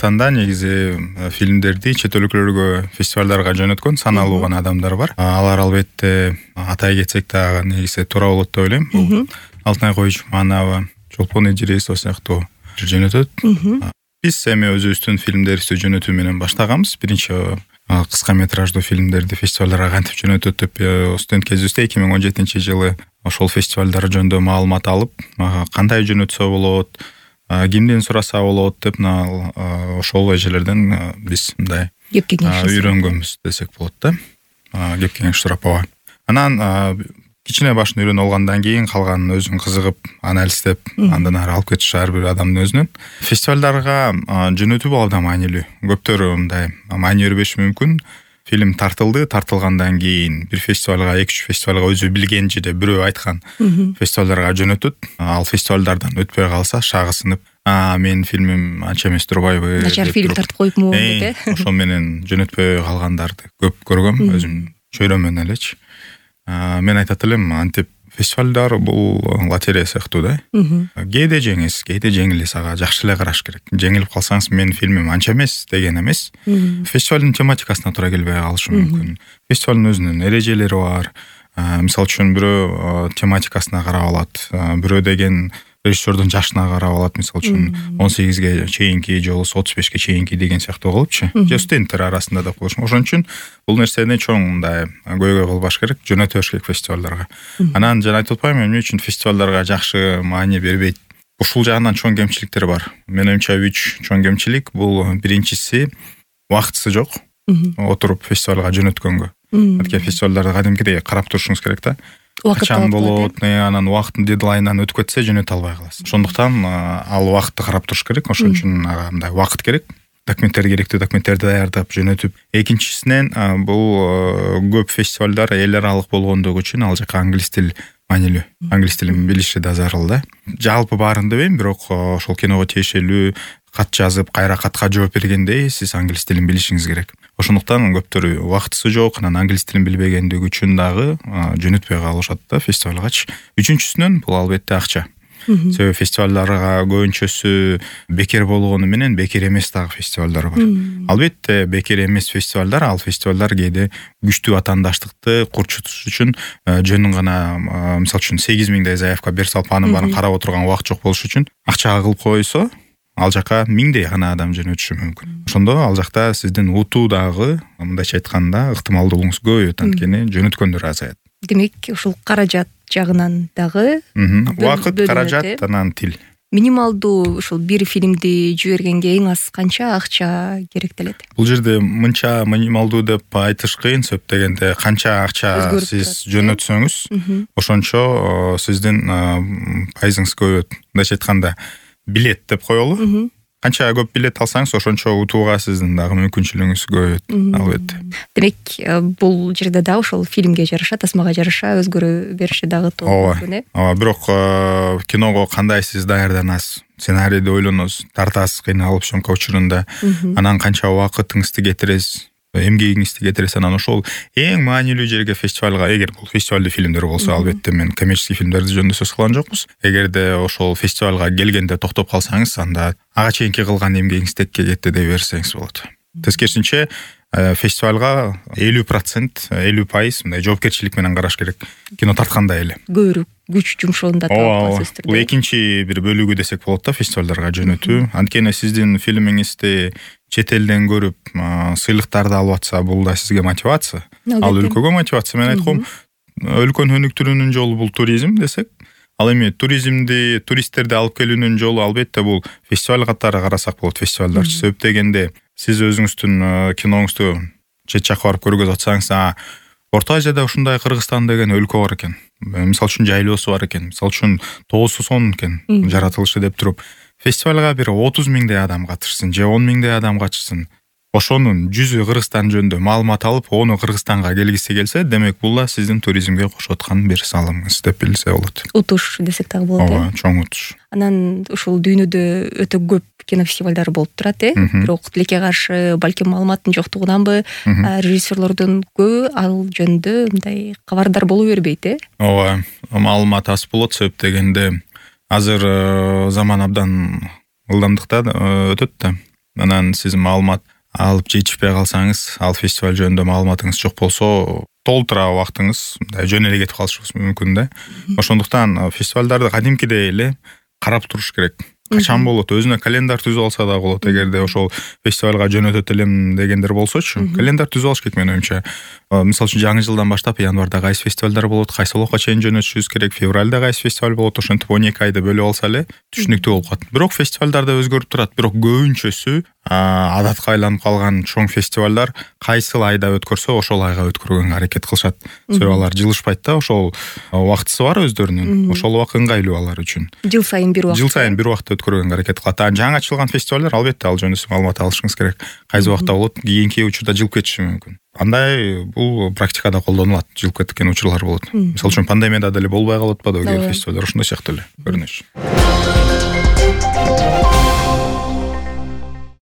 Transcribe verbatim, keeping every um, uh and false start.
Кыргызстанда негизи фильмдерди чет өлкөлөргө фестивалдарга жөнөткөн саналуу гана адамдар бар. Алар албетте атай кетсек дагы негизи туура болот деп ойлойм. Бул Алтынай Койчуманова, Чолпон Идирисов сыяктуу жөнөтөт. Биз эми өзүбүздүн фильмдерибизди жөнөтүү менен баштаганбыз. Биринчи кыска метраждуу фильмдерди фестивалдарга кантип жөнөтөт деп студент кезибизде эки миң он жетинчи жылы ошол фестивалдар жөнүндө маалымат алып, кандай жөнөтсө болот, кимден сураса болот деп ошол эжелерден биз мындай кеп кеңеш үйрөнгөнбүз десек болот да. Кеп кеңеш сурап ооба. Анан кичине башын үйрөнүп алгандан кийин калганын өзүң кызыгып, анализдеп, андан ары алып кетиш ар бир адамдын өзүнөн. Фестивалдарга жөнөтүү бул абдан маанилүү. Көптөр мындай маани бербеши мүмкүн. Фильм тартылды, тартылгандан кийин бир фестивалга, эки үч фестивалга өзү билген жерде бирөө айткан фестивалдарга жөнөтөт. Ал фестивалдардан өтпөй калса шагысынып, а менин фильмим анча эмес турбайбы? Начар фильм тартып коюпмун деп э. Ошол менен жөнөтпөй калгандарды көп көргөм, өзүм чөйрөмөн элечи. Мен айтат элем, антип фестивалдар бул лотерея сыяктуу да. Кээде жеңиз, кээде жеңилиз, ага жакшы эле караш керек. Жеңилип калсаңыз, менин фильмим анча эмес деген эмес. Фестивалдын тематикасына туура келбей калышы мүмкүн. Фестивалдын өзүнүн эрежелери бар. Мисалы үчүн бирөө тематикасына карап алат, бирөө деген режиссердун жашына карап алат. Мисалы үчүн он сегизге чейинки же отуз бешке чейинки деген сыяктуу болупчу. Же студенттер арасында да болуш. Ошон үчүн бул нерсени чоң мындай көйгөй кылбаш керек, жөнөтөш керек фестивалдарга. Анан жана айтып атпаймынбы, эмне үчүн фестивалдарга жакшы маани бербейт? Ушул жагынан чоң кемчиликтер бар. Менимче үч чоң кемчилик. Бул биринчиси убактысы жок. Отуруп фестивалга жөнөткөнгө. Анткени фестивалдарды кадимкидей карап турушуңуз керек да. Качан болот, анан убакыттын дедлайнынан өтүп кетсе жөнөтө албай каласыз. Ошондуктан ал убакытты карап туруш керек. Ошон үчүн ага мындай убакыт керек. Документтер керектүү документтерди даярдап жөнөтүп. Экинчисинен бул көп фестивалдар эл аралык болгондугу үчүн ал жака англис тил маанилүү. Англис тилин билиши да зарыл да. Жалпы баарын дебейм, бирок ошол киного тиешелүү кат жазып, кайра катка жооп бергенде сиз англис тилин билишиңиз керек. Ошондуктан көптөр убактысы жок, анан англис тилин билбегендиги үчүн дагы жөнөтпөй калышат да фестивалгачы. Үчүнчүсүнөн бул албетте акча. Себеби фестивалдарга көбүнчөсү бекер болгону менен бекер эмес дагы фестивалдар бар. Албетте бекер эмес фестивалдар, ал фестивалдар кээде күчтүү атаандаштыкты курчутуш үчүн жөн гана, мисалы үчүн сегиз миңдей заявка берип салып, анын баарын карап отурган убакыт жок болуш үчүн акчага кылып койсо, ал жака миңдей гана адам жөнөтүшү мүмкүн. Ошондо ал жакта сиздин утуу дагы, мындайча айтканда, ыктымалдуулугуңуз көбөйөт, анткени жөнөткөндөр азаят. Демек, ушул каражат жагынан дагы убакыт, каражат, анан тил. Минималдуу ушул бир фильмди жибергенге эң аз канча акча керектелет? Бул жерде мынча минималдуу деп айтыш кыйын, сөп дегенде канча акча сиз жөнөтсөңүз, ошончо сиздин пайызыңыз көбөйөт. Мындайча айтканда, билет деп коелу. Канча көп билет алсаңыз, ошончо утууга сиздин дагы мүмкүнчүлүгүңүз көбөйөт, албетте. Демек, бул жерде да ошол фильмге жараша, тасмага жараша өзгөрө бериши дагы туура мүмкүн, э? Ооба, бирок киного кандай сиз даярданасыз, сценарийди ойлоносуз, тартасыз кыйналып съемка учурунда, анан канча убакытыңызды кетиресиз, эмгегиңизди кетиресиз, анан ошол эң маанилүү жерге фестивалга, эгер бул фестивалдуу фильмдер болсо, албетте мен коммерческий фильмдерди жөнүндө сөз кылган жокпуз. Эгерде ошол фестивалга келгенде токтоп калсаңыз, анда ага чейинки кылган эмгегиңиз текке кетти деп берсеңиз болот. Тескерисинче фестивалга элүү процент, элүү пайыз мындай жоопкерчилик менен караш керек. Кино тарткандай эле. Көбүрөөк күч жумшоонда таап бул экинчи бир бөлүгү десек болот да фестивалдарга жөнөтүү. Анткени сиздин фильмиңизди чет элден көрүп, сыйлыктарды алып атса, бул да сизге мотивация. Ал өлкөгө мотивация. Мен айткам, өлкөнү өнүктүрүүнүн жолу бул туризм десек, ал эми туризмди, туристтерди алып келүүнүн жолу албетте бул фестиваль катары карасак болот, фестивалдарчы. Себеп дегенде сиз өзүңүздүн киноңузду чет жакка барып көргөзүп атсаңыз, Орто Азияда ушундай Кыргызстан деген өлкө бар экен. Мисалы үчүн жайлоосу бар экен. Мисалы үчүн тоосу сонун экен, жаратылышы деп туруп, фестивалга бир отуз миңдей адам катышсын, же он миңдей адам катышсын. Ошонун жүзү Кыргызстан жөнүндө маалымат алып, ону Кыргызстанга келгиси келсе, демек бул да сиздин туризмге кошуп аткан бир салымыңыз деп билсе болот. Утуш десек дагы болот. Ооба, чоң утуш. Анан ушул дүйнөдө өтө көп кинофестивалдар болуп турат, э? Бирок тилекке каршы балким маалыматтын жоктугунанбы, режиссерлордун көбү ал жөнүндө мындай кабардар боло бербейт, э? Ооба, маалымат аз болот, себеп дегенде азыр заман абдан ылдамдыкта өтөт да. анан сиз маалымат алып жетишпей калсаңыз, ал фестиваль жөнүндө маалыматыңыз жок болсо, толтура убактыңыз мындай жөн эле кетип калышыбыз мүмкүн да. Ошондуктан фестивалдарды кадимкидей эле карап туруш керек. Качан болот, өзүнө календар түзүп алса да болот. Эгерде ошол фестивалга жөнөтөт элем дегендер болсочу, календар түзүп алыш керек менин оюмча. Мисалы үчүн жаңы жылдан баштап январда кайсы фестивалдар болот, кайсы убакка чейин жөнөтүшүбүз керек, февралда кайсы фестиваль болот, ошентип он эки айды бөлүп алса эле түшүнүктүү болуп калат. Бирок фестивалдар да өзгөрүп турат, бирок көбүнчөсү адатка айланып калган чоң фестивалдар кайсыл айда өткөрсө ошол айга өткөргөнгө аракет кылышат. Себеби алар жылышпайт да, ошол убактысы бар өздөрүнүн. Ошол убак ыңгайлуу алар үчүн. Жыл сайын бир убакта. Жыл сайын бир убакта өткөргөнгө аракет кылат. А жаңы ачылган фестивалдар албетте ал жөнүндө маалымат алышыңыз керек. Кайсы убакта болот, кийинки учурда жылып кетиши мүмкүн. Андай бул практикада колдонулат, жылып кеткен учурлар болот. Мисалы үчүн пандемияда деле болбой калып атпадыбы кээ фестивалдар, ошондой сыяктуу эле көрүнөш.